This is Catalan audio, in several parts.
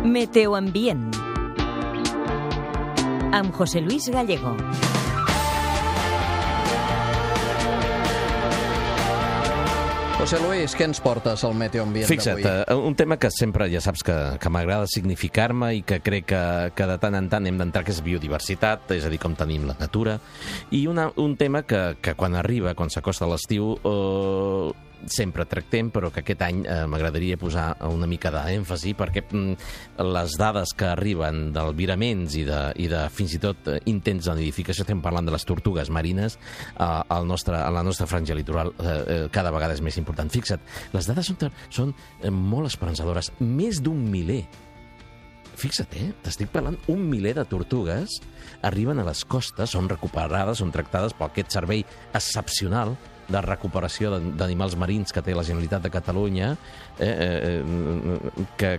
Meteoambient amb José Luis Gallego. José Luis, què ens portes al meteoambient d'avui? Fixa't, un tema que sempre ja saps que m'agrada significar-me i que crec que de tant en tant hem d'entrar, que és biodiversitat, és a dir, com tenim la natura, i un tema que quan arriba, quan s'acosta l'estiu, sempre tractem, però que aquest any m'agradaria posar una mica d'èmfasi, perquè les dades que arriben d'albiraments i de fins i tot intents de nidificació, estem parlant de les tortugues marines, a la nostra franja litoral cada vegada és més important. Fixa't, les dades són molt esperançadores. Més d'un miler. Fixa't, t'estic parlant, 1 miler de tortugues arriben a les costes, són recuperades, són tractades per aquest servei excepcional de recuperació d'animals marins que té la Generalitat de Catalunya, que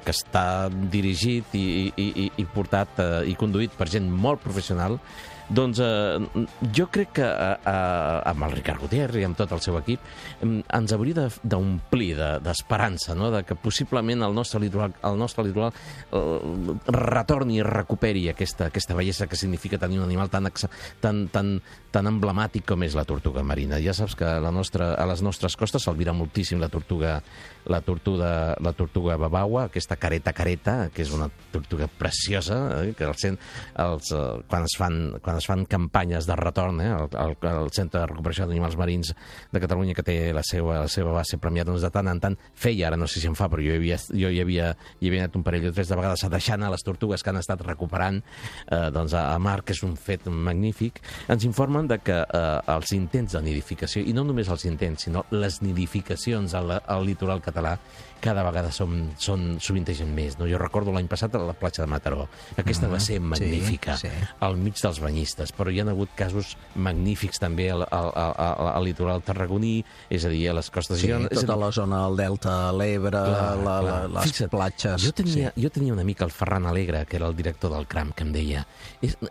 està dirigit i portat i conduït per gent molt professional. Doncs jo crec que amb el Ricard Gutiérrez i amb tot el seu equip ens hauria d'omplir d'esperança, no? De que possiblement el nostre litoral retorni i recuperi aquesta bellesa que significa tenir un animal tan emblemàtic com és la tortuga marina. Ja saps que a les nostres costes s'albira moltíssim la tortuga babaua, aquesta careta, que és una tortuga preciosa, que quan es fan campanyes de retorn, el Centre de Recuperació d'Animals Marins de Catalunya, que té la seva base premiada, doncs de tant en tant feia, ara no sé si en fa, però jo hi havia anat un parell o tres de vegades a deixar anar les tortugues que han estat recuperant a mar, que és un fet magnífic. Ens informen de que els intents de nidificació, i no només els intents, sinó les nidificacions al litoral català, cada vegada sovintegen més. No? Jo recordo l'any passat a la platja de Mataró. Aquesta va ser magnífica, al mig dels banyistes, però hi ha hagut casos magnífics també al litoral tarragoní, és a dir, a les costes... Sí, tota la zona del Delta, l'Ebre, les platges... Jo tenia un amic, el Ferran Alegre, que era el director del CRAM, que em deia: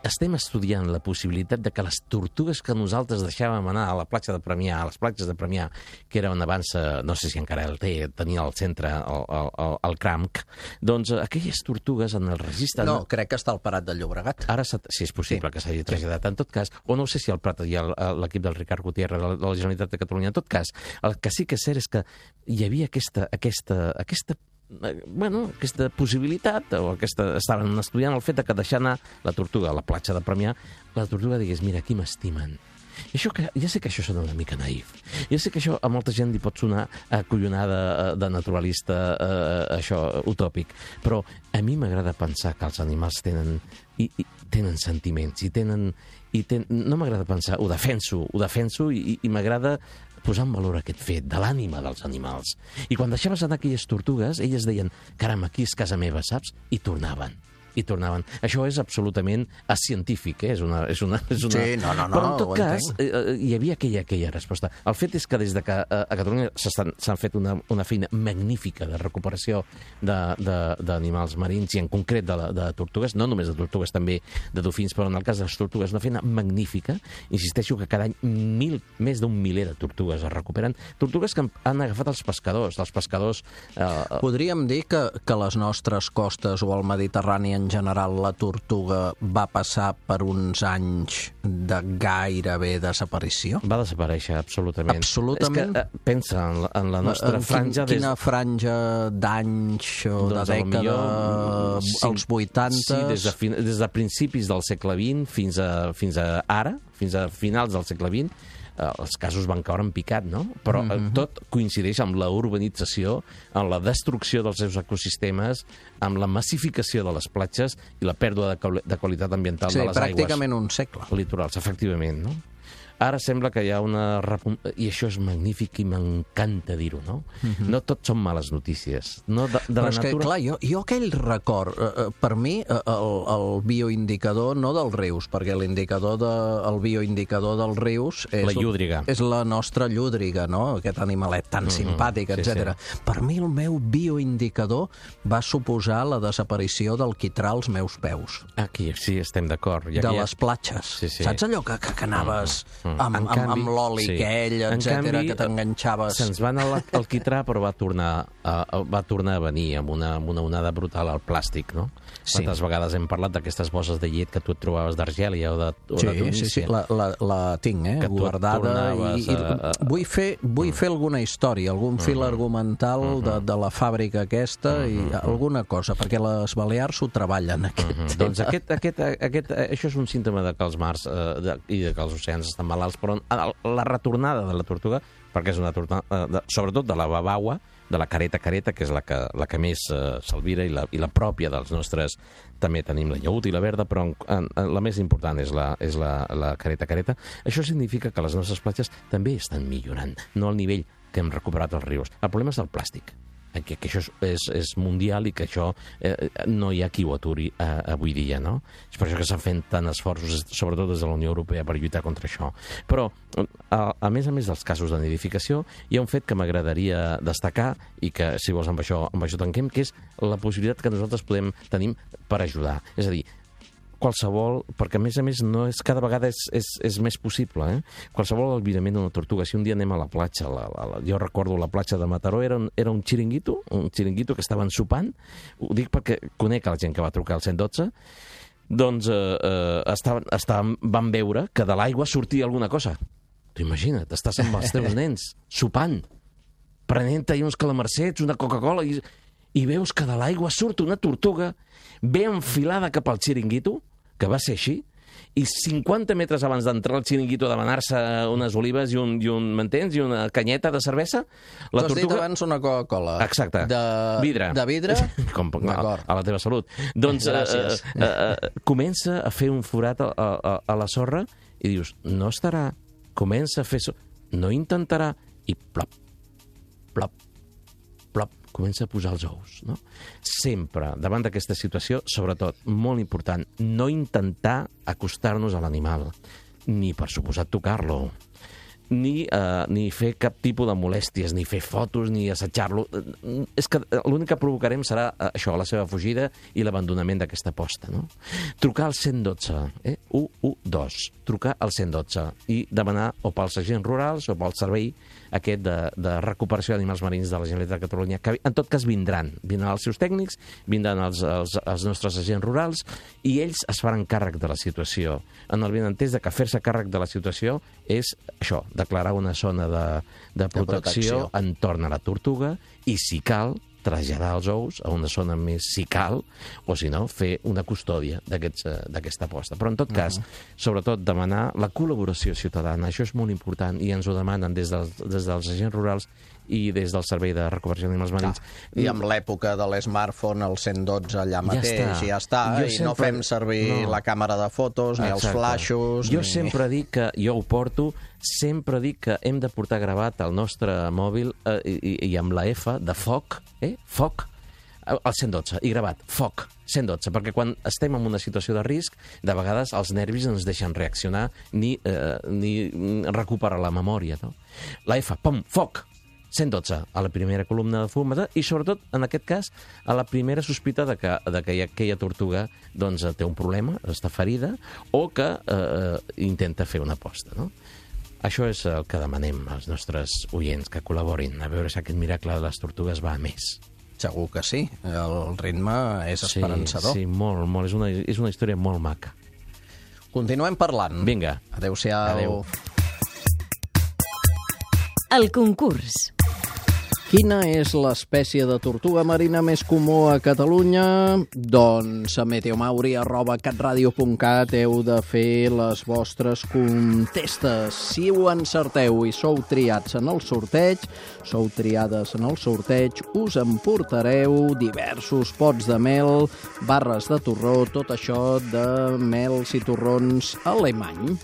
estem estudiant la possibilitat de que les tortugues que nosaltres deixàvem anar a la platja de Premià, a les platges de Premià, que era on abans, no sé si encara el tenia al centre, el CRAMC, doncs aquelles tortugues en el registre... No, crec que està al Prat del Llobregat. Ara, si és possible que s'hagi traslladat. En tot cas, o no sé si al Prat hi ha l'equip del Ricard Gutiérrez de la Generalitat de Catalunya. En tot cas, el que sí que és cert és que hi havia aquesta possibilitat, estaven estudiant el fet de que deixar anar la tortuga a la platja de Premià, la tortuga digués: mira, aquí m'estimen. Ja sé que això sona una mica naïf. Ja sé que això a molta gent li pot sonar acollonada de naturalista, això, utòpic. Però a mi m'agrada pensar que els animals tenen sentiments no m'agrada pensar, ho defenso i m'agrada posar en valor aquest fet de l'ànima dels animals. I quan deixaves anar aquelles tortugues, elles deien: caram, aquí és casa meva, saps? I tornaven. Això és absolutament científic, és una... Sí, no, però en tot cas, hi havia aquella resposta. El fet és que des de que a Catalunya s'han fet una feina magnífica de recuperació d'animals marins, i en concret de tortugues, no només de tortugues, també de dofins, però en el cas de les tortugues una feina magnífica. Insisteixo que cada any més d'un miler de tortugues es recuperen. Tortugues que han agafat els pescadors. Podríem dir que a les nostres costes o al Mediterrani en general la tortuga va passar per uns anys de gairebé desaparició? Va desaparèixer, absolutament. Absolutament? És que pensa en la nostra franja... Quina franja d'anys o de dècada? Als 80? Sí, des de principis del segle XX fins a ara, fins a finals del segle XX, els casos van caure en picat, no? Però tot coincideix amb la urbanització, amb la destrucció dels seus ecosistemes, amb la massificació de les platges i la pèrdua de qualitat ambiental de les aigües. Sí, pràcticament un segle. Litorals, efectivament, no? Ara sembla que hi ha una... I això és magnífic i m'encanta dir-ho, no? No tot són males notícies. Però és que, clar, jo aquell record, per mi, el bioindicador, no dels rius, perquè el bioindicador dels rius... La llúdriga. És la nostra llúdriga, no? Aquest animalet tan simpàtic, etc. Per mi el meu bioindicador va suposar la desaparició del quitrà als meus peus. Aquí sí, estem d'acord. De les platges. Saps allò que anaves... amb l'oli aquell, etcètera, que t'enganxaves. Se'ns va anar al quitrà, però va tornar a venir amb una onada brutal al plàstic, no? Sí. Quantes vegades hem parlat d'aquestes bosses de llet que tu et trobaves d'Argèlia o de Tunísia? Sí, la tinc, guardada. Vull fer alguna història, algun fil argumental de la fàbrica aquesta i alguna cosa, perquè les Balears ho treballen, aquest tema. Doncs això és un símptoma de que els mars i de que els oceans estan malalts, però la retornada de la tortuga, perquè és una tornada, sobretot de la babaua, de la careta, que és la que més s'alvira i la pròpia dels nostres, també tenim la llaüt i la verda, però la més important és la careta. Això significa que les nostres platges també estan millorant, no al nivell que hem recuperat els rius. El problema és el plàstic, que això és mundial i que això no hi ha qui ho aturi avui dia, no? És per això que s'han fet tant esforços, sobretot des de la Unió Europea, per lluitar contra això. Però, a més dels casos de nidificació, hi ha un fet que m'agradaria destacar i que, si vols, amb això tanquem, que és la possibilitat que nosaltres tenim per ajudar. És a dir, qualsevol, perquè a més no és, cada vegada és més possible, qualsevol albirament d'una tortuga. Si un dia anem a la platja, jo recordo la platja de Mataró, era un xiringuito que estaven sopant, ho dic perquè conec la gent que va trucar al 112, doncs van veure que de l'aigua sortia alguna cosa. Tu imagina't, estàs amb els teus nens, sopant, prenent-hi uns calamarsets, una Coca-Cola, i veus que de l'aigua surt una tortuga ben enfilada cap al xiringuito, que va ser així, i 50 metres abans d'entrar al xiringuito a demanar-se unes olives i m'entens? I una canyeta de cervesa, la tortuga... Tu has dit abans una Coca-Cola. Exacte. De vidre? A la teva salut. Doncs comença a fer un forat a la sorra i dius, no estarà, comença a fer... No intentarà, i plop, plop, plop, comença a posar els ous, no? Sempre, davant d'aquesta situació, sobretot, molt important, no intentar acostar-nos a l'animal, ni, per suposat, tocar-lo, ni fer cap tipus de molèsties, ni fer fotos, ni assetjar-lo. És que l'únic que provocarem serà això, la seva fugida i l'abandonament d'aquesta posta, no? Trucar al 112, 112, trucar al 112 i demanar o pels agents rurals o pel servei aquest de recuperació d'animals marins de la Generalitat de Catalunya, que en tot cas vindran els seus tècnics, vindran els nostres agents rurals i ells es faran càrrec de la situació, en el benentès de que fer-se càrrec de la situació és això, declarar una zona de protecció entorn a la tortuga i, si cal, traslladar els ous a una zona més, si cal, o si no, fer una custòdia d'aquesta posta. Però, en tot cas, sobretot, demanar la col·laboració ciutadana. Això és molt important i ens ho demanen des dels agents rurals i des del Servei de Recuperació d'Animals Marins. I amb l'època de l'smartphone, el 112 allà mateix, ja està, i no fem servir la càmera de fotos, ni els flaixos... Jo sempre dic que, jo ho porto, sempre dic que hem de portar gravat el nostre mòbil i amb la F de foc, foc, al 112, i gravat, foc, 112, perquè quan estem en una situació de risc, de vegades els nervis no ens deixen reaccionar ni recuperar la memòria, no? La F, pom, foc, 112, a la primera columna de fum, i sobretot, en aquest cas, a la primera sospita de que aquella tortuga doncs, té un problema, està ferida, o que intenta fer una aposta, no? Això és el que demanem als nostres oients, que col·laborin, a veure si aquest miracle de les tortugues va a més. Segur que sí, el ritme és esperançador. Sí, molt, molt. És una història molt maca. Continuem parlant. Vinga. Adéu-siau. Adéu. El concurs. Quina és l'espècie de tortuga marina més comú a Catalunya? Doncs a meteomauri@catradio.cat heu de fer les vostres contestes. Si ho encerteu i sou triats en el sorteig, sou triades en el sorteig, us emportareu diversos pots de mel, barres de torró, tot això de mels i torrons alemany.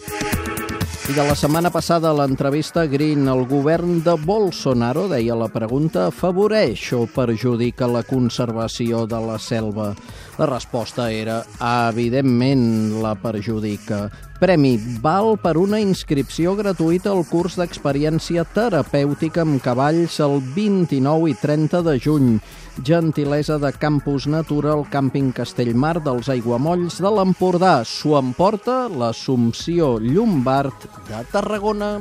I de la setmana passada, l'entrevista Green, el govern de Bolsonaro, deia la pregunta, afavoreix o perjudica la conservació de la selva? La resposta era, evidentment, la perjudica. Premi val per una inscripció gratuïta al curs d'experiència terapèutica amb cavalls el 29 i 30 de juny. Gentilesa de Campus Natura al càmping Castellmar dels Aiguamolls de l'Empordà. S'ho emporta l'Assumpció Llombard de Tarragona.